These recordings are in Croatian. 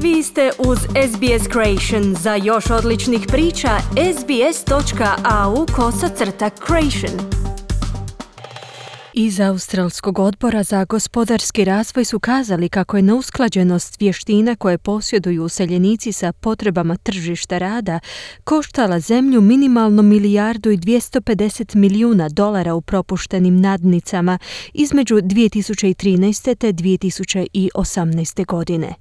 Vi ste uz SBS Creation. Za još odličnih priča, sbs.au/creation. Iz Australskog odbora za gospodarski razvoj su kazali kako je neusklađenost vještina koje posjeduju useljenici sa potrebama tržišta rada koštala zemlju minimalno $1,250 milijuna u propuštenim nadnicama između 2013. te 2018. godine.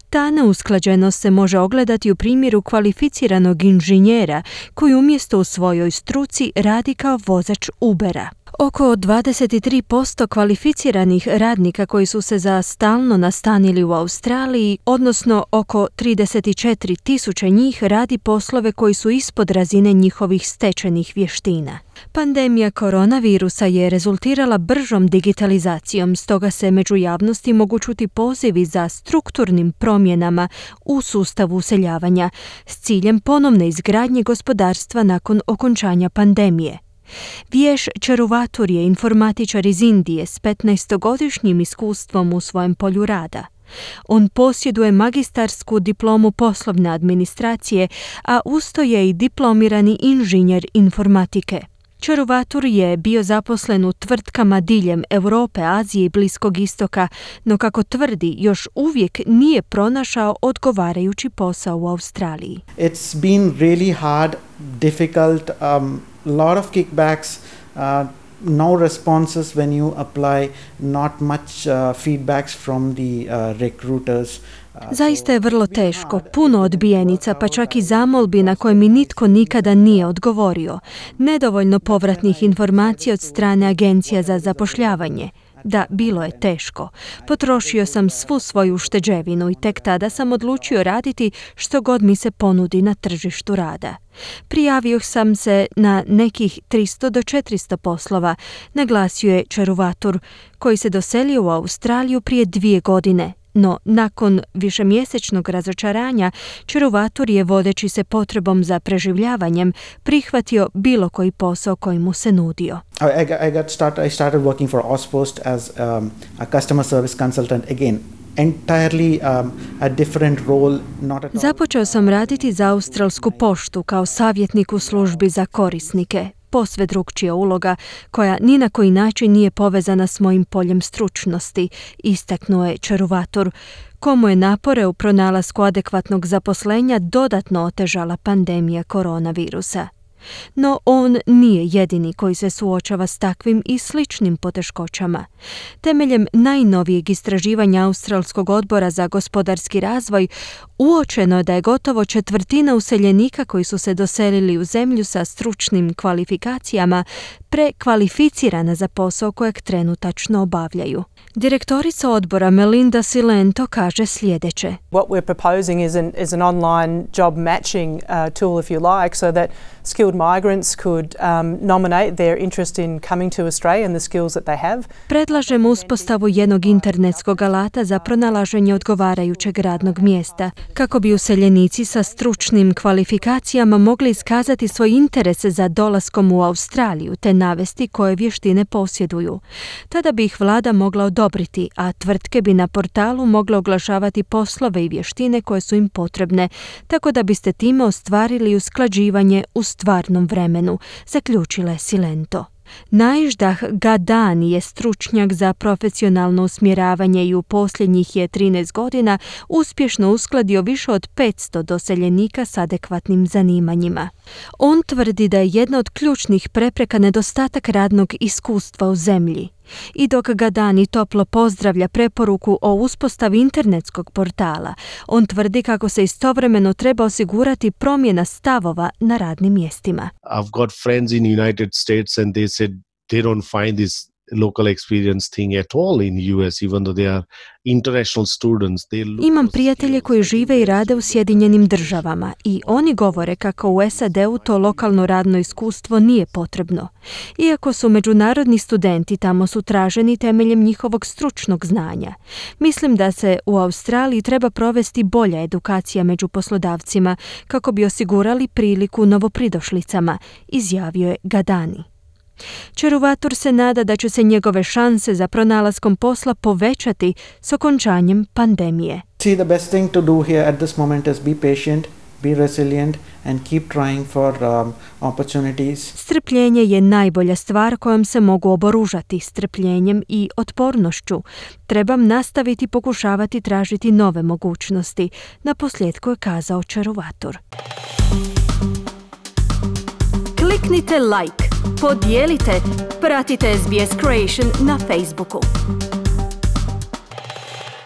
Ta neusklađenost se može ogledati u primjeru kvalificiranog inženjera koji umjesto u svojoj struci radi kao vozač Ubera. Oko 23% kvalificiranih radnika koji su se za stalno nastanili u Australiji, odnosno oko 34.000 njih radi poslove koji su ispod razine njihovih stečenih vještina. Pandemija koronavirusa je rezultirala bržom digitalizacijom, stoga se među javnosti mogu čuti pozivi za strukturnim promjenama u sustavu useljavanja s ciljem ponovne izgradnje gospodarstva nakon okončanja pandemije. Vješ Čeruvatur je informatičar iz Indije s 15-godišnjim iskustvom u svojem polju rada. On posjeduje magistarsku diplomu poslovne administracije, a usto je i diplomirani inženjer informatike. Čeruvatur je bio zaposlen u tvrtkama diljem Europe, Azije i Bliskog istoka, no kako tvrdi, još uvijek nije pronašao odgovarajući posao u Australiji. It's been really hard, difficult, lot of kickbacks, no responses when you apply, not much feedbacks from the recruiters. Zaista je vrlo teško, puno odbijenica, pa čak i zamolbi na koje mi nitko nikada nije odgovorio. Nedovoljno povratnih informacija od strane agencija za zapošljavanje. Da, bilo je teško. Potrošio sam svu svoju ušteđevinu i tek tada sam odlučio raditi što god mi se ponudi na tržištu rada. Prijavio sam se na nekih 300 do 400 poslova, naglasio je Čeruvatur, koji se doselio u Australiju prije 2 godine. No, nakon višemjesečnog razočaranja, Čeruvatur je, vodeći se potrebom za preživljavanjem, prihvatio bilo koji posao koji mu se nudio. I started working for Auspost as a customer service consultant again. Entirely a different role, not at all. Započeo sam raditi za Australsku poštu kao savjetnik u službi za korisnike. Posve drukčija uloga koja ni na koji način nije povezana s mojim poljem stručnosti, istaknuo je Čeruvatur, komu je napore u pronalasku adekvatnog zaposlenja dodatno otežala pandemija koronavirusa. No on nije jedini koji se suočava s takvim i sličnim poteškoćama. Temeljem najnovijeg istraživanja Australskog odbora za gospodarski razvoj uočeno je da je gotovo 1/4 useljenika koji su se doselili u zemlju sa stručnim kvalifikacijama prekvalificirana za posao kojeg trenutačno obavljaju. Direktorica odbora Melinda Silento kaže sljedeće. What we're proposing is an online job matching tool, if you like, so that skilled migrants could nominate their interest in coming to Australia and the skills that they have. Predlažemo uspostavu jednog internetskog alata za pronalaženje odgovarajućeg radnog mjesta, kako bi useljenici sa stručnim kvalifikacijama mogli iskazati svoj interes za dolaskom u Australiju te navesti koje vještine posjeduju. Tada bi ih vlada mogla odobriti, a tvrtke bi na portalu mogle oglašavati poslove i vještine koje su im potrebne, tako da biste time ostvarili usklađivanje u stvarnom vremenu, zaključila je Silento. Najždah Gadani je stručnjak za profesionalno usmjeravanje i u posljednjih je 13 godina uspješno uskladio više od 500 doseljenika s adekvatnim zanimanjima. On tvrdi da je jedna od ključnih prepreka nedostatak radnog iskustva u zemlji. I dok Gadani toplo pozdravlja preporuku o uspostavi internetskog portala, on tvrdi kako se istovremeno treba osigurati promjena stavova na radnim mjestima. I've got friends in United States and they said they don't find this local experience thing at all in US, even though they are international students. Imam prijatelje koji žive i rade u Sjedinjenim državama i oni govore kako u SAD-u to lokalno radno iskustvo nije potrebno. Iako su međunarodni studenti, tamo su traženi temeljem njihovog stručnog znanja. Mislim da se u Australiji treba provesti bolja edukacija među poslodavcima kako bi osigurali priliku novopridošlicama, izjavio je Gadani. Čeruvatur se nada da će se njegove šanse za pronalaskom posla povećati s okončanjem pandemije. See, the best thing to do here at this moment is be patient, be resilient and keep trying for opportunities. Strpljenje je najbolja stvar kojom se mogu oboružati, strpljenjem i otpornošću. Trebam nastaviti pokušavati tražiti nove mogućnosti, naposljetku je kazao Čaruvator. Kliknite like, podijelite, pratite SBS Creation na Facebooku.